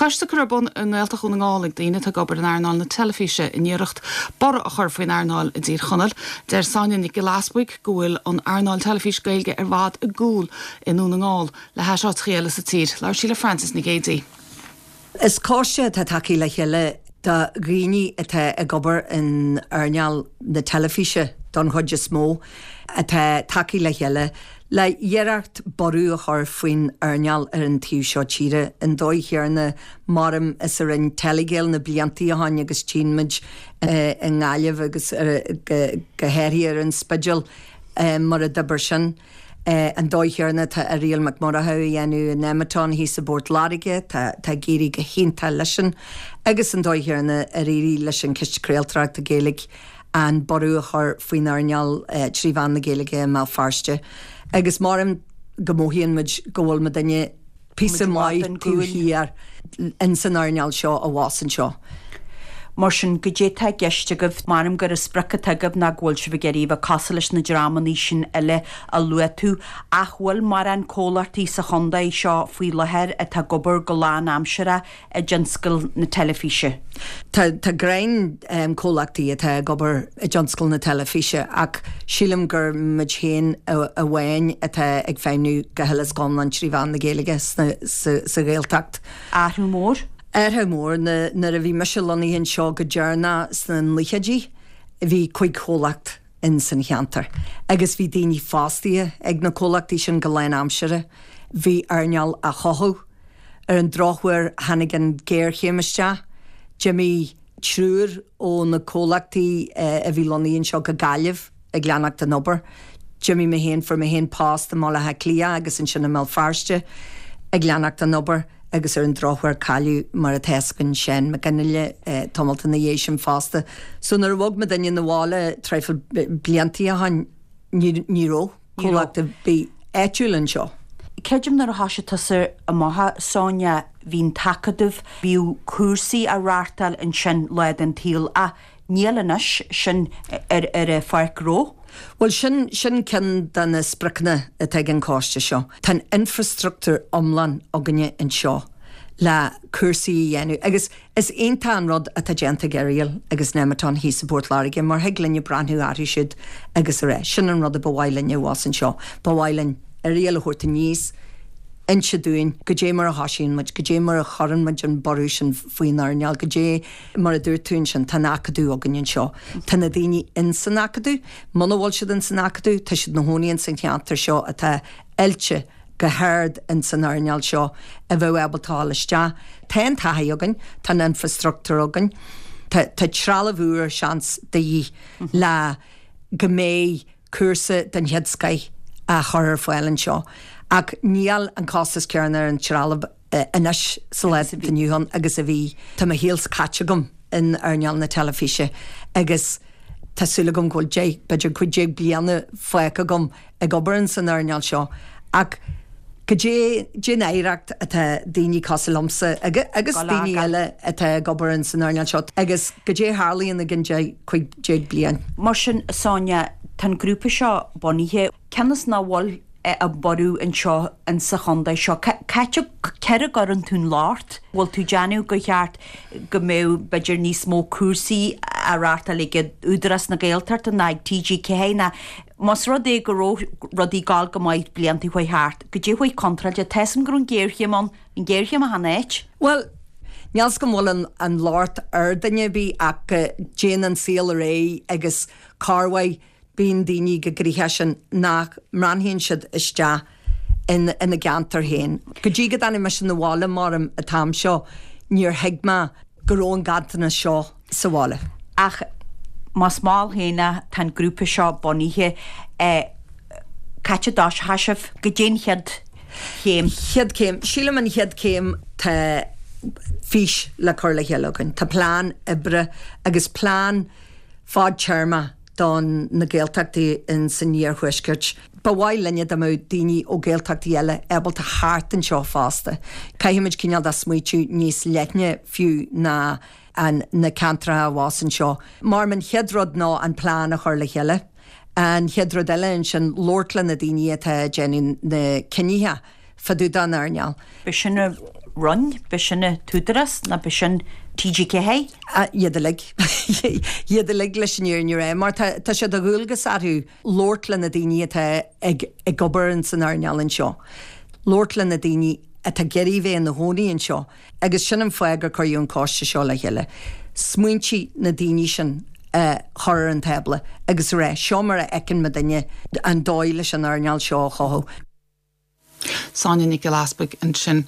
Coiste curtha ar bun i nGaeltacht Dhún na nGall ag daoine atá ag obair in earnáil na teilifíse in iarracht borradh a chur faoin earnáil i dTír Chonaill. Deir Sonia Nic Giolla Easbuig go bhfuil an earnáil teilifís Gaeilge i bhfad i gcúl i nDún na nGall le hais áiteachaí eile sa tír. Labhair sí le Frances Nic Géadaigh. Is coiste atá tagtha le chéile de dhaoine atá ag obair in earnáil na teilifíse don chuid is mó, atá tagtha le chéile le iarracht borradh a chur faoin earnáil ar an taobh seo tíre, an dóigh chéarna maram is a rinn Telegael na bliantaí ó shoin agus tchíonn muid i nGaillimh agus go háirithe ar an Spidéal mar a d'oibir sin. An dóigh chéarna atá Irial Mac Murchadha a dhéanamh i Nemeton thíos i bPort Láirge, tá ag éirí go hiontach leisean, agus an dóigh chéarna ar éirigh leis an Chiste Craoltóireachta Gaeilge an borradh a chur faoin earnáil trí mheán na Gaeilge i mBéal Feirste. Agus maram go mothaíonn muid go bhfuil muidinne píosa maith taobh thiar ins an earnáil seo abhus anseo. Mar sin, goidé tá i gceist agaibh? Maram gur an sprioc atá agaibh ná go bhfuil sibh ag iarraidh a bheith cosúil leis na dreamannaí sin eile a luaigh tú. Ach bhfuil mórán comhlachtaí sa chontae seo faoi láthair atá ag obair go lán-aimseartha i dtionscal na teilifíse? Tá, tá greim comhlachtaí atá ag obair i dtionscal na teilifíse ach sílim gur muid féin amháin atá ag feidhmniú go huile is go hiomlán trí mheán na Gaeilge sna, sa, sa Ghaeltacht. Athrú mór? Athrú mór. Nuair a bhí mise lonnaithe anseo go deireanach sna nochaidí bhí cuig chomhlacht in san cheantar agus bhí daoine fostaithe ag na comhlachtaí sin go lán-aimseartha. Bhí earnáil á chothú. Ar an drochuair tháinig an ghéarchéim isteach. D'imigh triúr ó na comhlachtaí a bhí lonnaithe anseo go Gaillimh ag leanacht den obair. D'imigh mé féin, fuair mé féin post i mBaile Átha Cliath agus ansin i mBéal Feirste ag leanacht den obair agus ar an drochuair cailleadh, mar atá fhios againn, Seán Mac Fhionnghaile tamalt ina dhiaidh sin fosta. So nuair a bhog muidinne 'na bhaile traidhfil bliantaí ó shoin ní raibh. comhlacht ar bith áitiúil anseo. Creidim nuair a thoisigh tusa amach, a Sonia, bhí an tAcadamh, bhíodh cúrsaí á reáchtáil ansin lá den tsaol ach níl anois, sin ar ar an pháirc ghnó. Bhuel sin, sin ceann de na spriocanna atá ag an choiste seo. Tá an infreastruchtúr iomlán againne anseo le cúrsaí a dhéanamh agus Is iontach an rud atá déanta ag Irial agus Nemeton thíos i bPort Láirge mar thig linne breathnú orthu siúd agus a rá, sin an rud a ba mhaith linne abhus anseo, ba mhaith linn Irial a thabhairt aníos, inse dúinn goidé mar a thosaíonn muid, goidé mar a chuireann muid an borradh sin faoin earnáil, goidé mar a dúirt tú ansin, tá an Acadamh againn anseo, tá na daoine ins an Acadamh, muna bhfuil siad ins an Acadamh, tá siad 'na chónaí ins an cheantar seo atá oilte go hard ins an earnáil seo a bheadh ábalta a dhul isteach. Tá an taithí againn, tá an infreastruchtúr againn, tá tá trealamh úr seans de dhíth le go mbeidh cúrsa den chéad scoith á chur ar fáil anseo. Ach níl an costas céanna ar an trealamh anois sa lá atá inniu ann agus a bhí. Tá mo shaol caite agam in earnáil na teilifíse agus tá súil agam go bhfuil 10, b'fhéidir 15 bliana fágtha agam ag obair in san earnáil seo ach goidé an oidhreacht atá daoine cosúil liomsa agus daoine eile atá ag obair in san earnáil seo agus goidé a tharlaíonn i gcionn 10, 15 bliain. Mar sin, Sonia, tá an grúpa seo bunaithe, cionn is nach bhfuil an borradh anseo in sa chontae seo. Cá céard a gcuireann tú an locht? Bhfuil tú ag déanamh gur cheart go mbeadh b'fhéidir níos mó cúrsaí á reáchtáil ag Údarás na Gaeltachta ná ag TG4 ná más rud é go raibh rudaí ag gabháil go maith blianta a chuaigh thart, goidé a chuaigh contráilte? Tá 'fhios a'm go raibh an ghéarchéim ann, an ghéarchéim achan áit. Bhuel, níl 'fhios agam an bhfuil an locht ar duine ar bith ach go dtéann an saol ar aghaidh agus corruair bíonn daoine chomh gnoitheach sin nach mbreathnaíonn siad isteach ina gceantar féin. Go dtí go dtáinig mise 'na bhaile maram an t-am seo níor thuig mé go raibh an ganntanas seo sa bhaile. Ach más mall féin é, tá an grúpa seo bunaithe. Cá háit a dtoiseoidh sibh? Goidé an chéad chéim? Chéad chéim? Sílim an chéad chéim tá fís le cur le chéile againn. Tá plean oibre agus plean fadtéarma don na Gaeltachtaí in san iarthuaisceart. Ba mhaith linne dá mbeadh daoine ó Ghaeltachtaí eile ábalta theacht anseo fosta. Caithfimid cineál de smaoitiú níos leithne fiú ná an na ceantracha abhus anseo. Mar an chéad rud ná an plean a chur le chéile. An chéad rud eile ansin labhairt le na daoine atá ag déanamh na cinnithe fá dtaobh den earnáil. B'shin. Roinn, b'shin an tÚdarás nó b'shin TG4? Iad uilig. Iad uilig leis an fhírinne a rá, mar tá tá sé de dhualgas orthu labhairt le na daoine atá ag ag obair in san earnáil anseo, labhairt le na daoine atá ag iarraidh bheith ina gcónaí anseo agus sin an fáth gur cuireadh an coiste seo le chéile, smaointe na daoine sin a chur ar an tábla agus a rá seo mar a fheiceann muidinne an dóigh leis an earnáil seo a chothú. Sonia Nic Giolla Easbuig ansin.